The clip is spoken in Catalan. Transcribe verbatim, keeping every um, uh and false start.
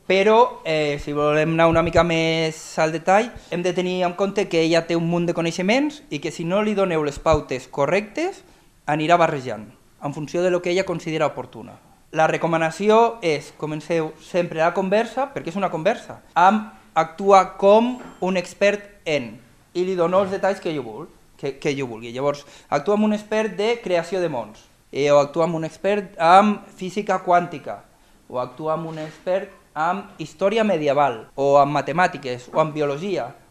Però, eh, si volem anar una mica més al detall, hem de tenir en compte que ella té un munt de coneixements i que si no li doneu les pautes correctes, anirà barrejant, en funció de lo que ella considera oportuna. La recomanació és, comenceu sempre la conversa, perquè és una conversa, amb actuar com un expert en, i li dono els detalls que jo vulgui. Que, que jo vulgui. Llavors, actua amb un expert de creació de mons, eh, o actua amb un expert amb física quàntica, o actua amb un expert amb història medieval, o amb matemàtiques, o amb biologia,